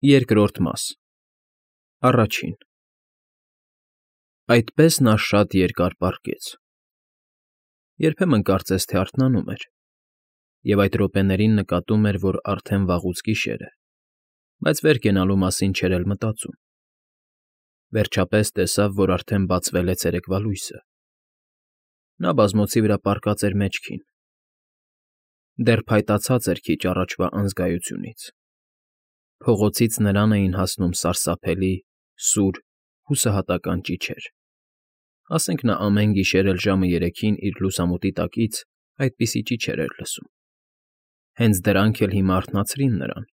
Երկրորդ մաս Առաջին Այդպես նա շատ երկար պառկեց. երբեմն կարծես թե արթնանում էր, և այդ րոպեներին նկատում էր, որ արդեն վաղուց գիշեր է, բայց վեր կենալու մասին չէր էլ մտածում. վերջապես տեսավ, որ արդեն բացվել է ցերեկվա լույսը. նա բազմոցի վրա պառկած էր մեջքին, դեռ փայտացած էր քիչ առաջվա անզգայությունից. փողոցից նրան էին հասնում սարսափելի, սուր, հուսահատական ճիչեր, ասենք նա ամեն գիշեր էլ ժամը 3-ին իր լուսամուտի տակից այդպիսի ճիչեր էր լսում. հենց դրանք էլ հիմա արթնացրին նրան.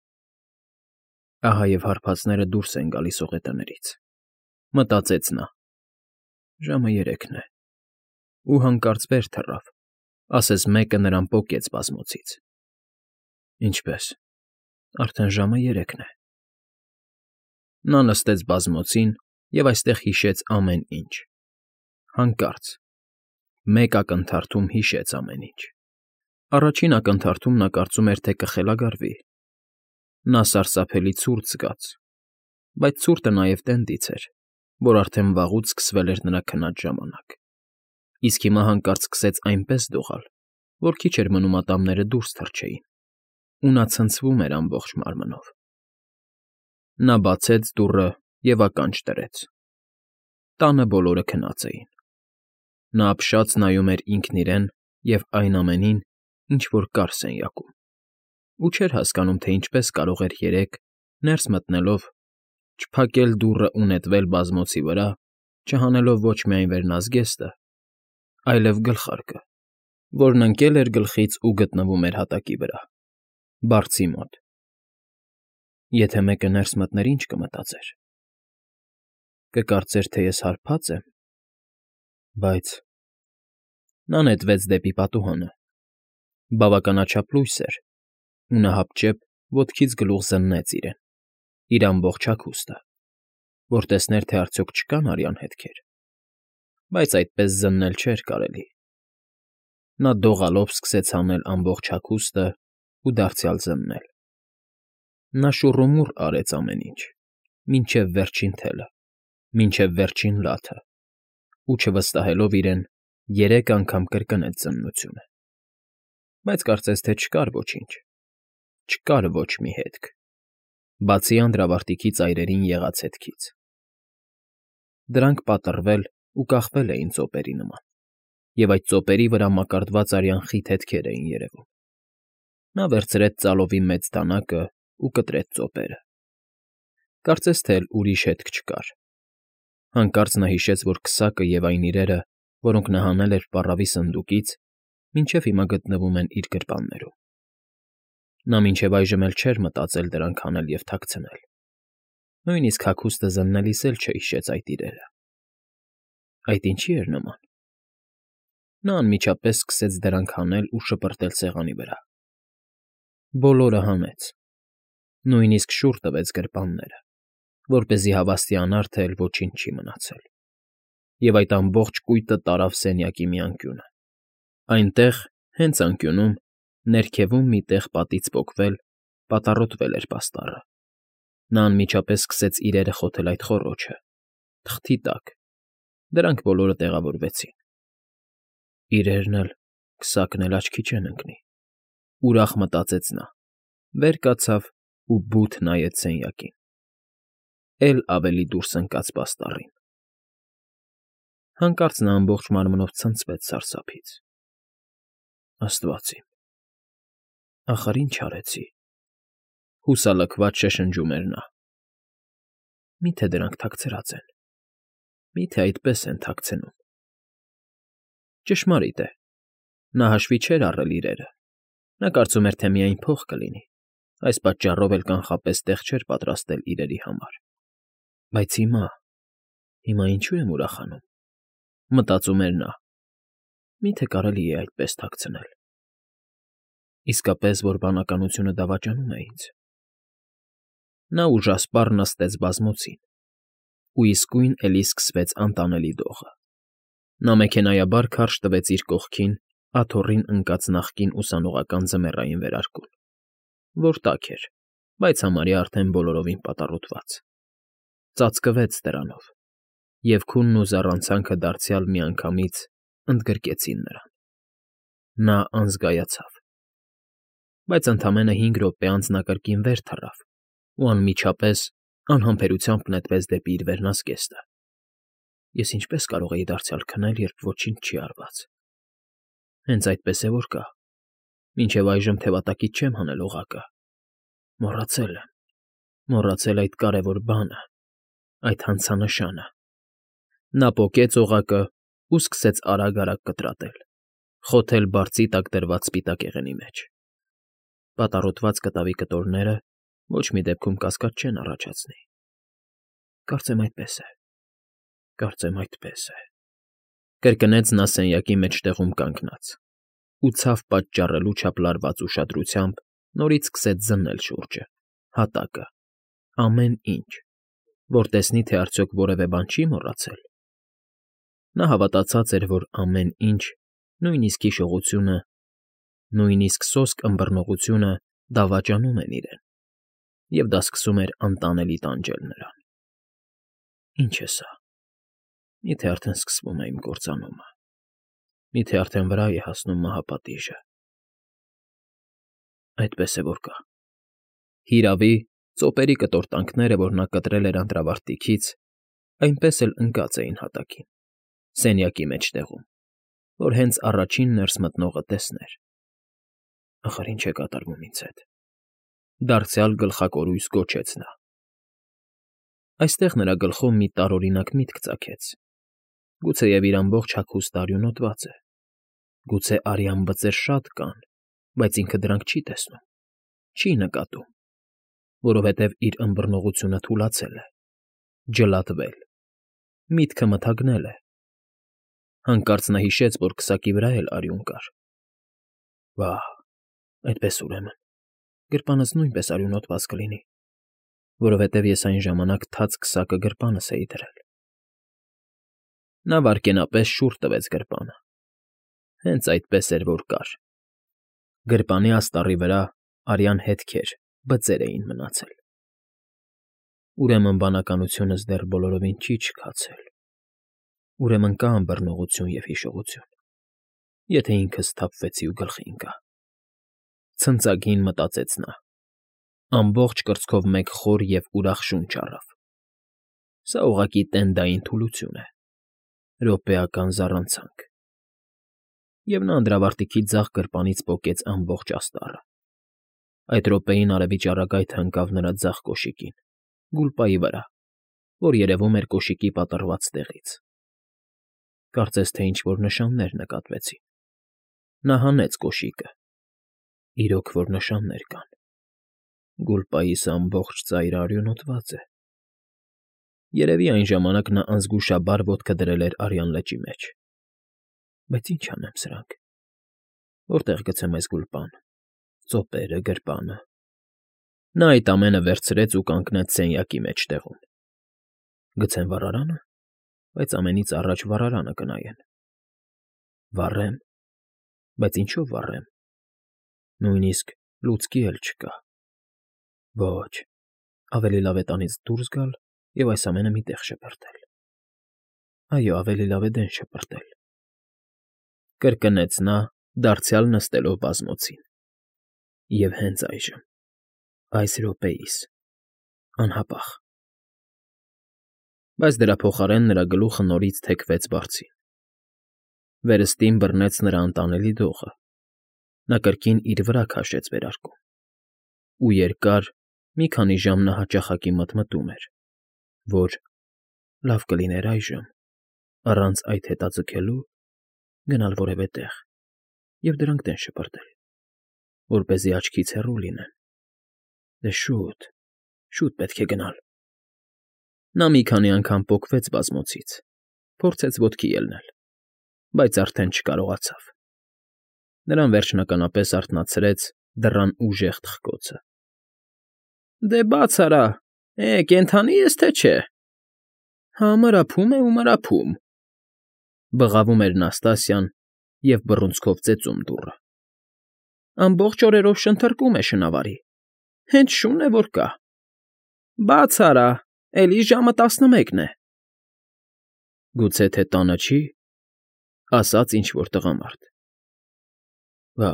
ահա և հարբածները դուրս են գալիս ողետներից, մտածեց նա, ժամը 3-ն է, ու հանկարծ վեր թռավ, ասես մեկը նրան պոկեց բազմոցից. ինչպե՞ս, արդեն ժամը 3-ն է. նա նստեց բազմոցին և այստեղ հիշեց ամեն ինչ, հանկարծ, մեկ ակնթարթում հիշեց ամեն ինչ. առաջին ակնթարթում նա կարծում էր, թե կխելագարվի, նա սարսափելի ցուրտ զգաց, բայց ցուրտը նաև տենդից էր, որ արդեն վաղուց սկսվել էր նրա քնած ժամանակ, իսկ հիմա հանկարծ սկսեց այնպես դողալ, որ քիչ էր մնում ատամները դուրս թռչեին, ու նա ցնցվում էր ամբողջ մարմնով. նա բացեց դուռը և ականջ դրեց. տանը բոլորը քնած էին. նա ապշած նայում էր ինքն իրեն և այն ամենին, ինչ որ կար սենյակում, ու չէր հասկանում, թե ինչպես կարող էր երեկ, ներս մտնելով, չփակել դուռն ու նետվել բազմոցի վրա, չհանելով ոչ միայն վերնազգեստը, այլև գլխարկը, որն ընկել էր գլխից ու գտնվում էր հատակի վրա, բարձի մոտ. եթե մեկը ներս մտներ, ի՞նչ կմտածեր, կկարծեր, թե ես հարբած եմ, բայց… նա նետվեց դեպի պատուհանը, բավականաչափ լույս էր, ու նա հապճեպ ոտքից գլուխ զննեց իրեն, իր ամբողջ հագուստը, որ տեսներ, թե արդյոք չկան արյան հետքեր, բայց այդպես զննել չէր կարելի. նա դողալով սկսեց հանել ամբողջ հագուստն ու դարձյալ զննել. նա շուռումուռ արեց ամեն ինչ, մինչև վերջին թելը, մինչև վերջին լաթը, ու չվստահելով իրեն, 3 անգամ կրկնեց զննությունը, բայց կարծես թե չկար ոչինչ, չկար ոչ մի հետք, բացի անդրավարտիքի ծայրերին եղած հետքից. դրանք պատռվել ու կախվել էին ծոպերի նման, և այդ ծոպերի վրա մակարդված արյան խիտ հետքեր էին երևում. նա վերցրեց ծալովի մեծ դանակն ու կտրեց ծոպերը, կարծես թե էլ ուրիշ հետք չկար. հանկարծ նա հիշեց, որ քսակը և այն իրերը, որոնք նա հանել էր պառավի սնդուկից, մինչև հիմա գտնվում են իր գրպաններում. նա մինչև այժմ էլ չէր մտածել դրանք հանել և թաքցնել, նույնիսկ հագուստը զննելիս էլ չհիշեց այդ իրերը. այդ ինչի՞ էր նման… նա անմիջապես սկսեց դրանք հանել ու շպրտել սեղանի վրա, բոլորը հանեց, նույնիսկ շուռ տվեց գրպանները, որպեսզի հավաստիանար, թե էլ ոչինչ չի մնացել, և այդ ամբողջ կույտը տարավ սենյակի մի անկյունը, այնտեղ, հենց անկյունում, ներքևում մի տեղ պատից պոկվել, պատառոտվել էր պաստառը, նա անմիջապես սկսեց իրերը խոթել այդ խոռոչը, թղթի տակ, դրանք բոլորը տեղավորվեցին. իրերն էլ, քսակն էլ աչքի չեն ընկնի, ուրախ մտածեց նա, վեր կացավ ու բութ նայեց սենյակին, էլ ավելի դուրս ընկած պաստառին. հանկարծ նա ամբողջ մարմնով ցնցվեց սարսափից. աստված իմ, ախար ինչ արեցի… հուսալքված շշնջում էր նա. մի՞թե դրանք թաքցրած են, մի՞թե այդպես են թաքցնում… ճշմարիտ է, նա հաշվի չէր առել իրերը, նա կարծում էր, թե միայն փող կլինի, այս պատճառով էլ կանխապես տեղ չէր պատրաստել իրերի համար, բայց հիմա ինչո՞ւ եմ ուրախանում, մտածում էր նա, մի՞թե կարելի է այդպես թաքցնել… իսկապես, որ բանականությունը դավաճանում է ինձ… նա ուժասպառ նստեց բազմոցին, ու իսկույն էլի սկսվեց անտանելի դողը, նա մեքենայաբար քարշ տվեց իր կողքին աթոռին ընկած նախկին ուսանողական ձմեռային վերարկուն, որ տաք էր, բայց համարյա արդեն բոլորովին պատառոտված։ Ծածկվեց դրանով, և քունն ու զառանցանքը դարձյալ միանգամից ընդգրկեցին նրան։ Նա անզգայացավ, բայց ընդամենը 5 րոպե անց նա կրկին վեր թռավ ու անմիջապես անհամբերությամբ նետվեց դեպի իր վերնազգեստը։ Ես ինչպե՞ս կարող էի դարձյալ քնել, երբ ոչինչ չի արված։ Հենց այդպես է որ կա։ Մինչև այժմ թևատակից չեմ հանել օղակը։ Մոռացել եմ, մոռացել այդ կարևոր բանը, այդ հանցանշանը։ Նա պոկեց օղակը ու սկսեց արագ֊արագ կտրատել, խոթել բարձի տակ դրված սպիտակ եղենի մեջ։ Պատառոտված կտավի կտորները ոչ մի դեպքում կասկած չեն առաջացնի։ Կարծեմ այդպես է, կարծեմ այդպես է, կրկնեց նա սենյակի մեջտեղում կանգնած ու ցավ պատճառելու չափ լարված ուշադրությամբ նորից սկսեց զննել շուրջը, հատակը, ամեն ինչ, որ տեսնի, թե արդյոք որևէ բան չի մոռացել։ Նա հավատացած էր, որ ամեն ինչ, նույնիսկ հիշողությունը, նույնիսկ սոսկ ըմբռնողությունը դավաճանում են իրեն, և դա սկսում էր անտանելի տանջել նրան։ Ինչ է սա։ Միթե արդեն սկսվում է իմ կործանումը։ Միթե արդեն վրա է հասնում մահապատիժը։ Այդպես է որ կա։ Հիրավի, ծոպերի կտորտանքները, որ նա կտրել էր անտրավարտիքից, այնպես էլ ընկած էին հատակին, սենյակի մեջտեղում, որ հենց առաջին ներս մտնողը տեսներ։ Ախր ինչ է կատարվում ինձ հետ։ Դարձյալ գլխակորույս գոչեց նա։ Այստեղ նրա գլխում մի տարօրինակ միտք ծագեց։ Գուցեև իր ամբողջ հագուստը արյունոտված է։ Գուցե արյան բծեր շատ կան, բայց ինքը դրանք չի տեսնում, չի նկատում, որովհետև իր ըմբռնողությունը թուլացել է, ջլատվել, միտքը մթագնել է։ Հանկարծ նա հիշեց, որ քսակի վրա էլ արյուն կար։ Վա՜, այդպես ուրեմն, գրպանս նույնպես արյունոտված կլինի, որովհետև ես այն ժամանակ թաց քսակը գրպանս էի դրել։ Նա վայրկենապես շուռ տվեց գրպանը։ Հենց այդպես էր, որ կար։ Գրպանի աստառի վրա արյան հետքեր, բծեր էին մնացել։ Ուրեմն բանականությունս դեռ բոլորովին չի չքացել։ Ուրեմն կա ըմբռնողություն և հիշողություն, եթե ինքս սթափվեցի ու գլխի ընկա։ Ցնծագին մտածեց նա։ Ամբողջ կրծքով մեկ խոր և ուրախ շունչ առավ։ Սա ուղղակի տենդային թուլություն է, րոպեական զառանցանք։ Եվ նա անդրավարտիքի ձախ գրպանից պոկեց ամբողջ աստառը։ Այդ րոպեին արևի ճառագայթը ընկավ նրա ձախ կոշիկին, գուլպայի վրա, որ երևում էր կոշիկի պատռված տեղից։ Կարծես թե ինչ֊որ նշաններ նկատվեցին։ Նա հանեց կոշիկը։ Իրոք որ նշաններ կան։ Գուլպայիս ամբողջ ծայրը արյունոտված է։ Երևի այն ժամանակ նա անզգուշաբար ոտքը դրել էր արյան լճի մեջ։ Բայց ինչ անեմ սրանք։ Որտեղ գցեմ այս գուլպան, ծոպերը, գրպանը։ Նա այդ ամենը վերցրեց ու կանգնեց սենյակի մեջտեղում։ Գցեմ վառարանը, բայց ամենից առաջ վառարանը կնայեն։ Վառեմ, բայց ինչով վառեմ։ Նույնիսկ լուցկի էլ չկա։ Ոչ, ավելի լավ է տանից դուրս գալ և այս ամենը մի տեղ շպրտել։ Այո, ավելի լավ է դեն շպրտել։ Կրկնեց նա, դարձյալ նստելով բազմոցին։ Եվ հենց այժմ, այս րոպեիս, անհապաղ։ Բայց դրա փոխարեն նրա գլուխը նորից թեքվեց բարձին։ Վերստին բռնեց նրա անտանելի դողը։ Նա կրկին իր վրա քաշեց վերարկուն։ Ու երկար, մի քանի ժամ նա հաճախակի մտմտում էր, որ լավ կլիներ այժմ, առանց այդ հետաձգելու, գնալ որևէ տեղ և դրանք դեն շպրտել, որպեսզի աչքից հեռու լինեն։ Դե շուտ, շուտ պետք է գնալ։ Նա մի քանի անգամ պոկվեց բազմոցից, փորձեց ոտքի ելնել, բայց արդեն չկարողացավ։ Նրան վերջնականապես արթնացրեց դռան ուժեղ թխկոցը։ Դե բաց արա, կենդանի ես թե չէ։ Հա, մռափում է ու մռափում, բղավում էր Նաստասիան և բռունցքով ծեծում դուռը։ Ամբողջ օրերով շնթռկում է շնավարի։ Հենց շուն է, որ կա։ Բաց արա, էլի ժամը 11 է։ Գուցե թե տանը չի, ասաց ինչ֊որ տղամարդ։ Վա՜,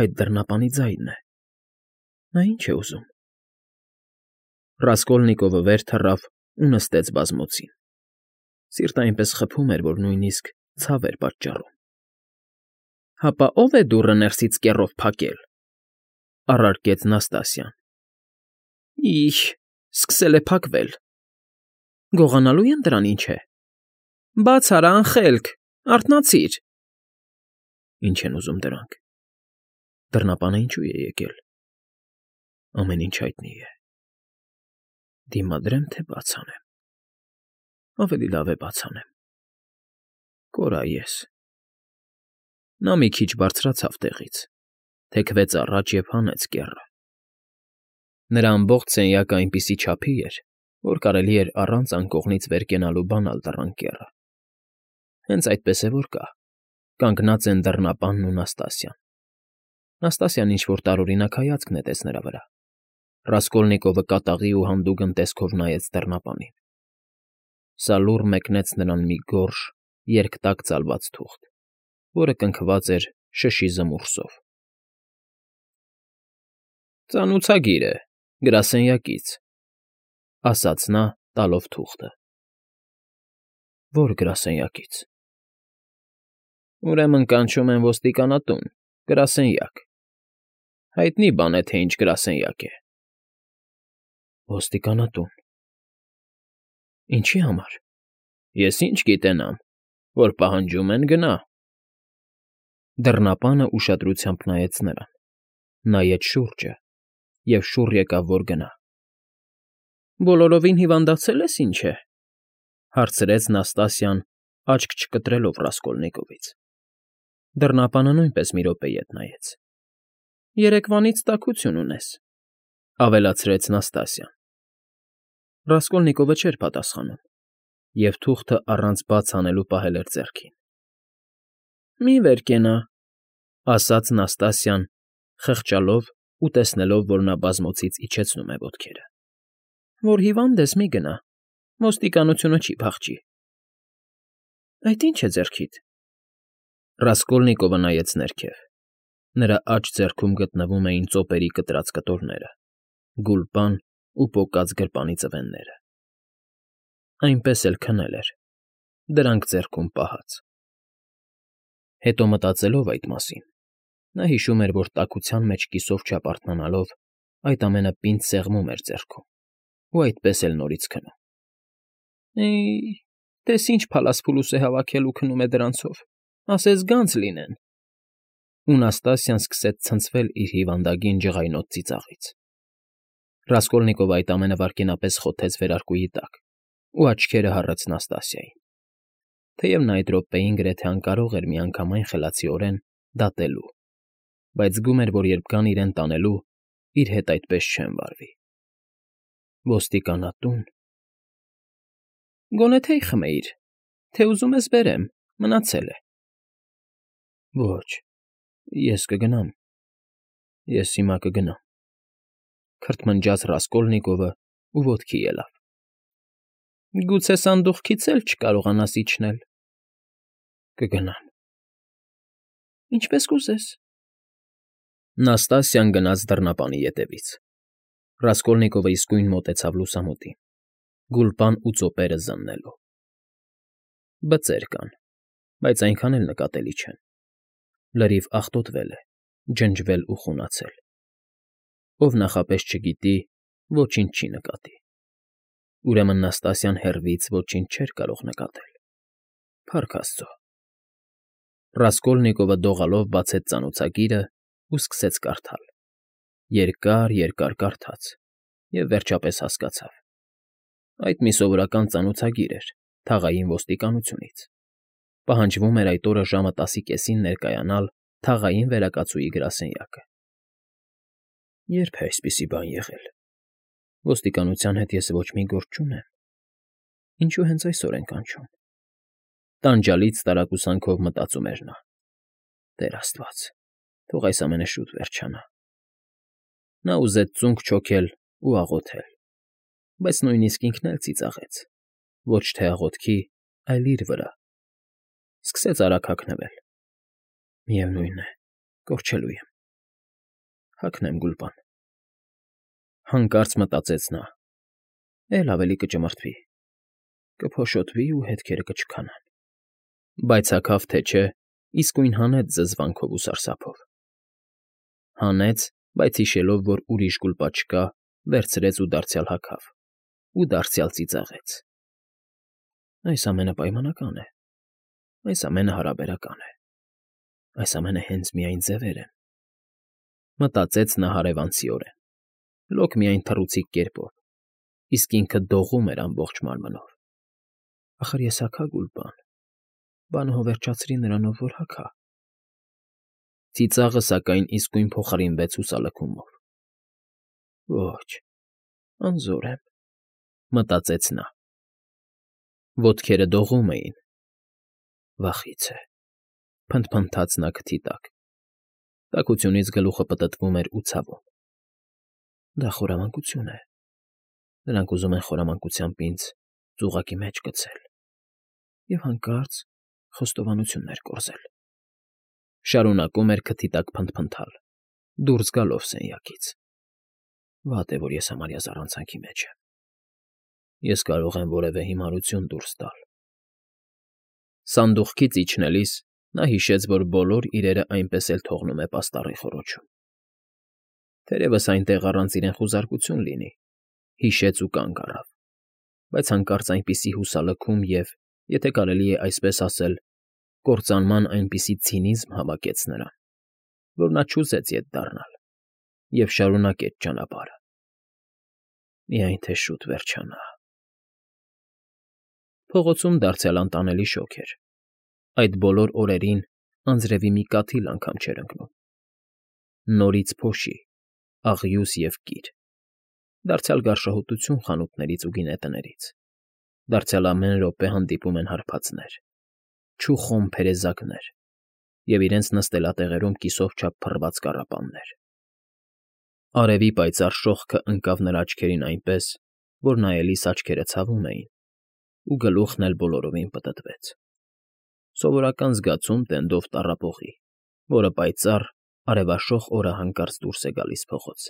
այդ դռնապանի ձայնն է։ Նա ինչ է ուզում։ Ռասկոլնիկովը վեր թռավ ու նստեց բազմոցին։ Սիրտը այնպես խփում էր, որ նույնիսկ ցավ էր պատճառում։ Հապա ո՞վ է դուռը ներսից կեռով փակել,֊ առարկեց Նաստասիան։ Իհ, սկսել է փակվել։ Գողանալու են դրան ինչ է։ Բաց արա, անխելք, արթնացիր։ Ինչ են ուզում դրանք։ Դռնապանը ինչու է եկել։ Ամեն ինչ հայտնի է։ Դիմադրեմ, թե բաց անեմ։ Ավելի լավ է բաց անեմ։ Կորա ես։ Նա մի քիչ բարձրացավ տեղից, թեքվեց առաջ և հանեց կեռը։ Նրա ամբողջ սենյակը այնպիսի չափի էր, որ կարելի էր առանց անկողնից վեր կենալու բանալ դռան կեռը։ Հենց այդպես է, որ կա։ Կանգնած են դռնապանն ու Նաստասիան։ Նաստասիան ինչ֊որ տարօրինակ հայացք նետեց նրա վրա։ Ռասկոլնիկովը կատաղի ու հանդուգն տեսքով նայեց դռնապանին։ Սա լուռ մեկնեց նրան մի գորշ, երկտակ ծալված թուղթ, որը կնքված էր շշի զմուռսով։ Ծանուցագիր է, գրասենյակից,֊ ասաց նա, տալով թուղթը։ Ո՞ր գրասենյակից։ Ուրեմն կանչում են ոստիկանատուն, գրասենյակ։ Հայտնի բան է, թե ինչ գրասենյակ է։ Ոստիկանատուն։ Ինչի համար։ Ես ինչ գիտենամ, որ պահանջում են գնա։ Դռնապանը ուշադրությամբ նայեց նրան, նայեց շուրջը և շուռ եկավ, որ գնա։ Բոլորովին հիվանդացել ես, ինչ է,֊ հարցրեց Նաստասիան, աչք չկտրելով Ռասկոլնիկովից։ Դռնապանը նույնպես մի րոպե ետ նայեց։ Երեկվանից տաքություն ունես,֊ ավելացրեց Նաստասիան։ Ռասկոլնիկովը չէր պատասխանում, և թուղթը առանց բաց անելու պահել էր ձեռքին։ Մի վեր կենա,֊ ասաց Նաստասիան, խղճալով ու տեսնելով, որ նա բազմոցից իջեցնում է ոտքերը։ Որ հիվանդ ես, մի գնա, ոստիկանությունը չի փախչի։ Այդ ի՞նչ է ձեռքիդ։ Ռասկոլնիկովը նայեց ներքև։ Նրա աջ ձեռքում գտնվում էին ծոպերի կտրած կտորները, գուլպան ու պոկած գրպանի ծվենները։ Այնպես էլ քնել էր, դրանք ձեռքում պահած։ Հետո մտածելով այդ մասին, նա հիշում էր, որ տաքության մեջ կիսով չափ արթնանալով այդ ամենը պինդ սեղմում էր ձեռքում ու այդպես էլ նորից քնում։ Տես ինչ փալասփուլուս է հավաքել ու քնում է դրանցով, ասես գանձ լինեն։ Ու Նաստասիան սկսեց ցնցվել իր հիվանդագին ջղայնոտ ծիծաղից։ Ռասկոլնիկովը այդ ամենը վայրկենապես խոթեց վերարկուի տակ ու աչքերը հառեց Նաստասիային, թեև նա այդ րոպեին գրեթե անկարող էր միանգամայն խելացիորեն դատելու, բայց զգում էր, որ երբ գան իրեն տանելու, իր հետ այդպես չեն վարվի։ Ոստիկանատուն։ Գոնե թեյ խմեիր, թե ուզում ես բերեմ, մնացել է։ Ոչ, ես կգնամ, ես հիմա կգնամ,֊ քրթմնջաց Ռասկոլնիկովը ու ոտքի ելավ։ Գուցե սանդուղքից էլ չկարողանաս իջնել։ Կգնամ։ Ինչպես կուզես։ Նաստասիան գնաց դռնապանի ետևից։ Ռասկոլնիկովը իսկույն մոտեցավ լուսամուտին, գուլպան ու ծոպերը զննելով։ Բծեր կան, բայց այնքան էլ նկատելի չեն։ Լրիվ աղտոտվել է, ջնջվել ու խունացել։ Ով նախապես չգիտի, ոչինչ չի նկատի։ Ուրեմն Նաստասիան հեռվից ոչինչ չէր կարող նկատել։ Փառք Աստծո։ Ռասկոլնիկովը դողալով բացեց ծանոթագիրը ու սկսեց կարդալ։ Երկար կարդաց և վերջապես հասկացավ։ Այդ մի սովորական ծանոթագիր էր թաղային ոստիկանությունից։ Պահանջվում էր այդ օրը ժամը 10:30-ին ներկայանալ թաղային վերակացուի գրասենյակը։ Ե՞րբ է այսպիսի բան եղել։ Ոստիկանության հետ ես ոչ մի գործ չունեմ։ Ինչու հենց այսօր են կանչում։ Տանջալից տարակուսանքով մտածում էր նա։ Տեր Աստված, թող այս ամենը շուտ վերջանա։ Նա ուզեց ծունկ չոքել ու աղոթել, բայց նույնիսկ ինքն էլ ծիծաղեց, ոչ թե աղոթքի, այլ իր վրա. սկսեց արագ հագնվել։ Միևնույն է, կորչելու եմ։ Հագնեմ Գուլպան։ Հանկարծ մտածեց նա. էլ ավելի կճմրթվի, կփոշոտվի ու հետքերը կչքանան։ Բայց հագավ թե չէ, իսկույն հանեց զզվանքով ու սարսափով։ Հանեց, բայց հիշելով, որ ուրիշ Գուլպա չկա, վերցրեց ու դարձյալ հագավ, ու դարձյալ ծիծաղեց։ Այս ամենը պայմանական է, այս ամենը հարաբերական է, այս ամենը հենց միայն ձևեր են, մտածեց նա հարևանցիորեն, լոկ միայն թռուցիկ կերպով, իսկ ինքը դողում էր ամբողջ մարմնով։ Ախր ես հագա Գուլպան, բանը հո վերջացրի նրանով, որ հագա։ Ծիծաղը, սակայն, իսկույն փոխարինվեց հուսալքումով։ Ոչ, անզոր եմ, մտածեց նա։ Ոտքերը դողում էին։ Վախից է, փնթփնթաց նա քթի տակ։ Տաքությունից գլուխը պտտվում էր ու ցավում։ Դա խորամանկություն է։ Նրանք ուզում են խորամանկությամբ ինձ ծուղակի մեջ գցել և հանկարծ խոստովանություններ կորզել։ Շարունակում էր քթի տակ փնթփնթալ, դուրս գալով սենյակից։ Վատ է, որ ես համարյա զառանցանքի մեջ եմ։ Ես կարող եմ որևէ հիմարություն դուրս տալ։ Սանդուղքից իջնելիս նա հիշեց, որ բոլոր իրերը այնպես էլ թողնում է պաստառի խոռոչում։ Թերևս այնտեղ առանց իրեն խուզարկություն լինի, հիշեց ու կանգ առավ, բայց հանկարծ այնպիսի հուսալքում և, եթե կարելի է այսպես ասել, կործանման այնպիսի ցինիզմ հավաքեց նրան, որ նա չուզեց ետ դառնալ և շարունակեց ճանապարհը։ Միայն թե շուտ վերջանա։ Փողոցում դարձյալ անտանելի շոգ էր։ Այդ բոլոր օրերին անձրևի մի կաթիլ անգամ չէր ընկնում։ Նորից փոշի, աղյուս և կիր։ Դարձյալ գարշահոտություն խանութներից ու գինետներից։ Դարձյալ ամեն րոպե հանդիպում են հարբածներ, չուխոմ փերեզակներ և իրենց նստելատեղերում կիսով չափ փռված կառապաններ։ Արևի պայծառ շողքը ընկավ նրա աչքերին այնպես, որ նայելիս աչքերը ցավում էին, ու գլուխն էլ բոլորովին պտտվեց։ Սովորական զգացում տենդով տառապողի, որը պայծառ, արևաշող օրը հանկարծ դուրս է գալիս փողոց։